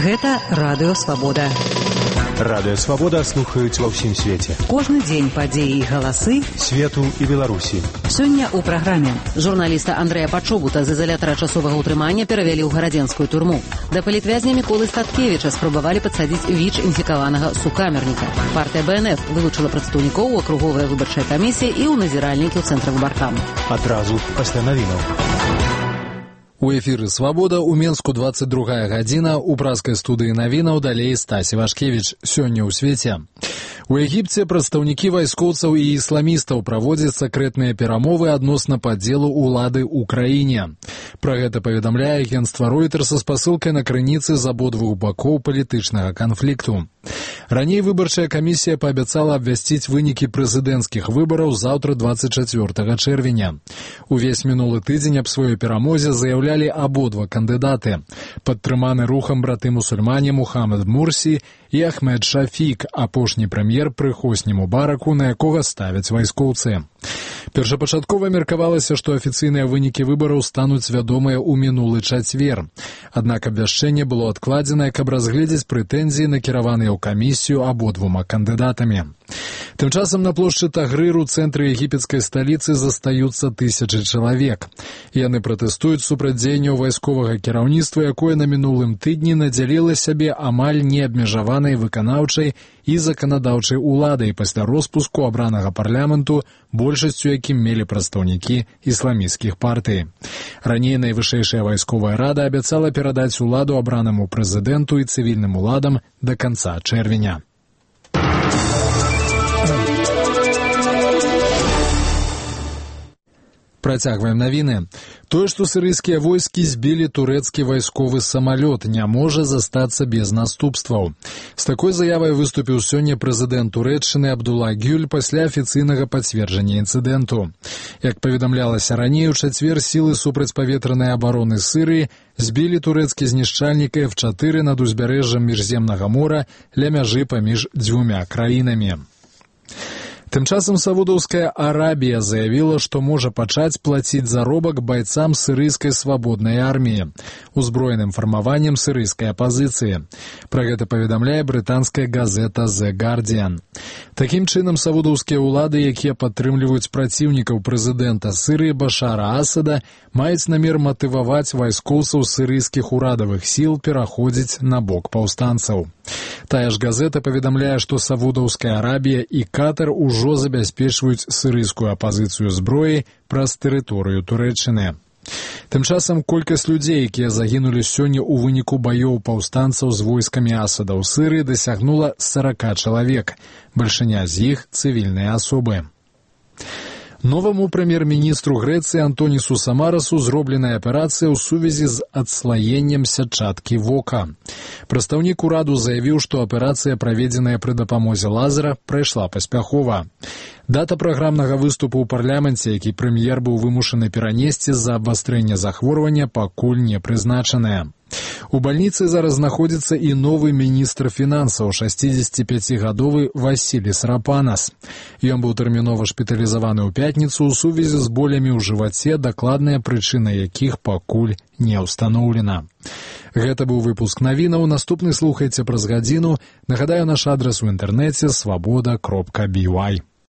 Гэта Радыё Свабода. Радыё Свабода слухаюць ва ўсім свеце. Кожны дзень падзеі і галасы свету і Беларусі. Сёння ў праграме журналіста Андрэя Пачобута з изолятара часовага ўтрымання перавялі ў гарадзенскую турму. Да палітвязня Міколы Статкевіча спрабавалі падсадзіць ВІЧ інфікаванага сукамерніка. Партыя БНФ вылучыла прадстаўнікоў у акруговая выбарчая камісія і ў назіральнікі ў цэнтры выбаркаму. Адразу пасля навінаў. У эфіры «Свабода» у Менску 22 гадзіна, у праскай студыі навінаў далей Стась Івашкевіч. Сёння ў свеце. У Егіпце прадстаўнікі вайскоўцаў і ісламістаў праводзяць сакрэтныя перамовы адносна падзелу ўлады ў краіне. Пра гэта паведамляе агенцтва Reuters са спасылкай на крыніцы з абодвух бакоў палітычнага канфлікту. Раней выбарчая камісія паабяцала абвясціць вынікі прэзідэнцкіх выбараў заўтра 24 чэрвеня. Увесь мінулы тыдзень аб сваёй перамозе заяўлялі абодва кандыдаты, падтрыманы рухам браты-мусульмане Мухаммад Мурсі і Ахмед Шафік, апошні прэм'ер пры Хосні Мубараку, на якога ставяць вайскоўцы. Першапачаткова меркавалася, што афіцыйныя вынікі выбараў стануць вядомыя ў мінулы чацвер. Аднак абвяшчэнне было адкладзенае, каб разгледзець прэтэнзіі, накіраваныя ў камісію абодвума кандыдатамі. Тым часам на плошчы Тагрыр у цэнтры егіпецкай сталіцы застаюцца тысячы чалавек. Яны пратэстуюць супраць дзеянняў вайсковага кіраўніцтва, якое на мінулым тыдні надзяліла сябе амаль неабмежаванай выканаўчай і заканадаўчай уладай пасля роспуску абранага парламенту, большасцю якім мелі прадстаўнікі ісламісцкіх партый. Раней найвышэйшая вайсковая рада абяцала перадаць уладу абранаму прэзідэнту і цывільным уладам да канца чэрвеня. Працягваем навіны. Тое, што сірыйскія войскі збілі турэцкі вайсковы самалёт, не можа застацца без наступстваў. З такой заявай выступіў сёння прэзідэнт Турэччыны Абдулла Гюль пасля афіцыйнага пацверджання інцыдэнту. Як паведамлялася раней, у чацвер сілы супрацьпаветранай абароны Сірыі збілі турэцкі знішчальнік F-4 над узбярэжжам Міжземнага мора ля мяжы паміж дзвюмя краінамі. Тым часам Саудаўская Арабія заявіла, што можа пачаць плаціць заробак байцам сірыйскай свабоднай арміі, узброеным фармаваннем сірыйскай апазіцыі. Пра гэта паведамляе брытанская газета The Guardian. Такім чынам, саудаўскія ўлады, якія падтрымліваюць праціўнікаў прэзідэнта Сірыі Башара Асада, маюць намер матываваць вайскоўцаў сірыйскіх урадавых сіл пераходзіць на бок паўстанцаў. Тая ж газета паведамляе, што Саудаўская Арабія і Катар ужо забяспечваюць сірыйскую апазіцыю зброі праз тэрыторыю Турэччыны. Тым часам колькасць людзей, якія загінулі сёння ў выніку баёў паўстанцаў з войскамі Асада ў Сірыі, дасягнула 40 чалавек. Бальшыня з іх цывільныя асобы. Новаму прэм'ер-міністру Грэцыі Антонісу Самарасу зробленая аперацыя ў сувязі з адслаеннем сятчаткі вока. Прадстаўнік ураду заявіў, што аперацыя, праведзеная пры дапамозе лазера, прайшла паспяхова. Дата праграмнага выступу ў парламенце, які прэм'ер быў вымушаны перанесці з-за абвастрэння захворвання, пакуль не прызначаная. У бальніцы зараз знаходзіцца і новы міністр фінансаў, 65-гадовы Васілі Срапанас. Ён быў тэрмінова шпіталізаваны ў пятніцу ў сувязі з болямі ў жываце, дакладная прычына якіх пакуль не ўстаноўлена. Гэта быў выпуск навінаў. Наступны слухайце праз гадзіну. Нагадаю, наш адрас у інтэрнэце свабода.by.